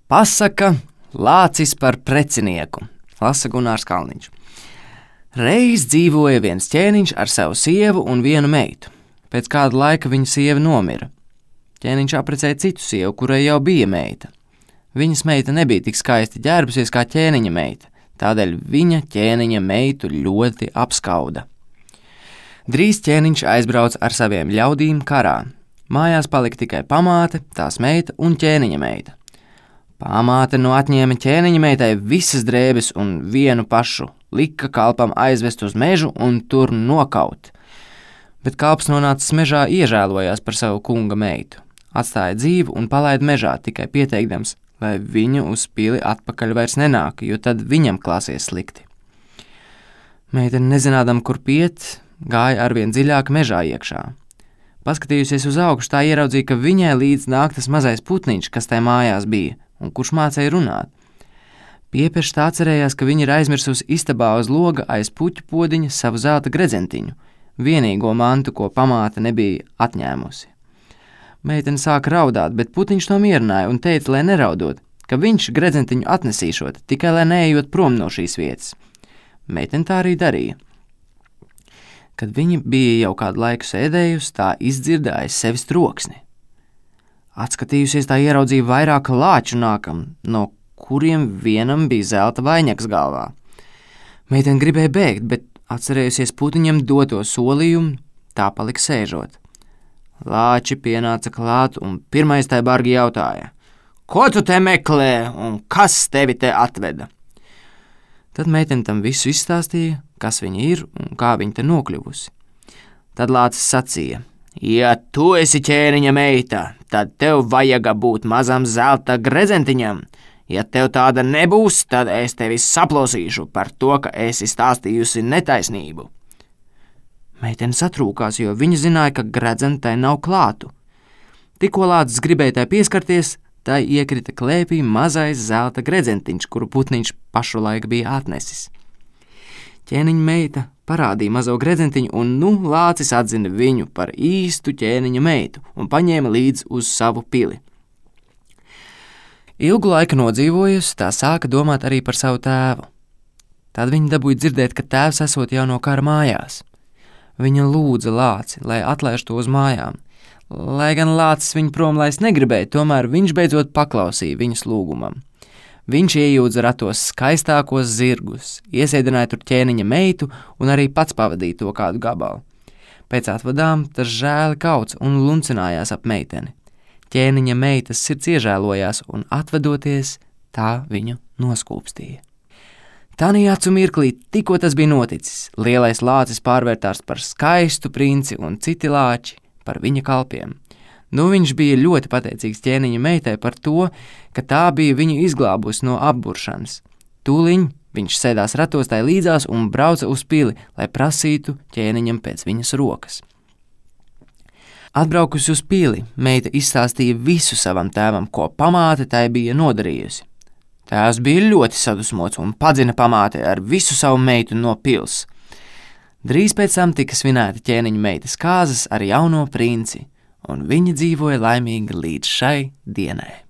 Pasaka Lācis par precinieku, lasa Gunārs Kalniņš. Reiz dzīvoja viens ķēniņš ar savu sievu un vienu meitu. Pēc kāda laika viņa sieva nomira. Ķēniņš apprecēja citu sievu, kurai jau bija meita. Viņas meita nebija tik skaisti ģērbusies kā ķēniņa meita, tādēļ viņa ķēniņa meitu ļoti apskauda. Drīz ķēniņš aizbrauca ar saviem ļaudīm karā. Mājās palika tikai pamāte, tās meita un ķēniņa meita. Pamāte atņēma ķēniņa meitai visas drēbes un vienu pašu, lika kalpam aizvest uz mežu un tur nokaut. Bet kalps nonācis mežā iežēlojās par savu kunga meitu, atstāja dzīvu un palaida mežā, tikai pieteikdams, lai viņa uz pili atpakaļ vairs nenāk, jo tad viņam klāsies slikti. Meitene, nezinādam, kur piet, gāja arvien dziļāk mežā iekšā. Paskatījusies uz augšu, tā ieraudzīja, ka viņai līdz nāk tas mazais putniņš, kas tai mājās bija, un kurš mācēja runāt. Piepešs tā atcerējās, ka viņa ir aizmirsusi istabā uz loga aiz puķu podiņa savu zelta gredzentiņu, vienīgo mantu, ko pamāte nebija atņēmusi. Meitene sāka raudāt, bet putniņš to mierināja un teica, lai neraudot, ka viņš gredzentiņu atnesīšot, tikai lai neejot prom no šīs vietas. Meitene tā arī darīja. Kad viņa bija jau kādu laiku sēdējusi, tā izdzirda aiz sevis troksni. Atskatījusies, tā ieraudzīja vairāk lāču nākam, no kuriem vienam bija zelta vainags galvā. Meitene gribēja bēgt, bet atcerējusies putiņam doto solījumu, tā palika sēžot. Lāči pienāca klāt un pirmais tai bargi jautāja: "Ko tu te meklē un kas tevi te atveda?" Tad meitene tam visu izstāstīja, kas viņa ir un kā viņa te nokļuvusi. Tad lācis sacīja: "Ja tu esi ķēniņa meita, tad tev vajaga būt mazam zelta gredzentiņam. Ja tev tāda nebūs, tad es tevi saplosīšu par to, ka esi stāstījusi netaisnību." Meitene satrūkās, jo viņa zināja, ka gredzentai nav klātu. Tikko lācis gribēja tai pieskarties, tai iekrita klēpī mazais zelta gredzentiņš, kuru putniņš pašu laiku bija atnesis. Ķēniņa meita parādīja mazo gredzentiņu, un lācis atzina viņu par īstu ķēniņa meitu un paņēma līdzi uz savu pili. Ilgu laiku nodzīvojusi, tā sāka domāt arī par savu tēvu. Tad viņa dabūja dzirdēt, ka tēvs esot jau no kara mājās. Viņa lūdza lāci, lai atlaiž to uz mājām. Lai gan lācis viņu prom laist negribēja, tomēr viņš beidzot paklausīja viņas lūgumam. Viņš iejūdza ratos skaistākos zirgus, iesēdināja tur ķēniņa meitu un arī pats pavadīja to kādu gabalu. Pēc atvadām tas žēli kauts un luncinājās ap meiteni. Ķēniņa meitas sirds iežēlojās un atvedoties, tā viņu noskūpstīja. Tanī acu mirklī, tikko tas bija noticis, lielais lācis pārvērtās par skaistu princi un citi lāči par viņa kalpiem. Viņš bija ļoti pateicīgs ķēniņa meitai par to, ka tā bija viņu izglābusi no apburšanas. Tūliņ viņš sēdās ratos tai līdzās un brauca uz pili, lai prasītu ķēniņam pēc viņas rokas. Atbraukusi uz pili, meita izstāstīja visu savam tēvam, ko pamāte tai bija nodarījusi. Tēvs bija ļoti sadusmots un padzina pamāti ar visu savu meitu no pils. Drīz pēc tam tika svinēta ķēniņa meitas kāzas ar jauno princi, un viņi dzīvoja laimīgi līdz šai dienai.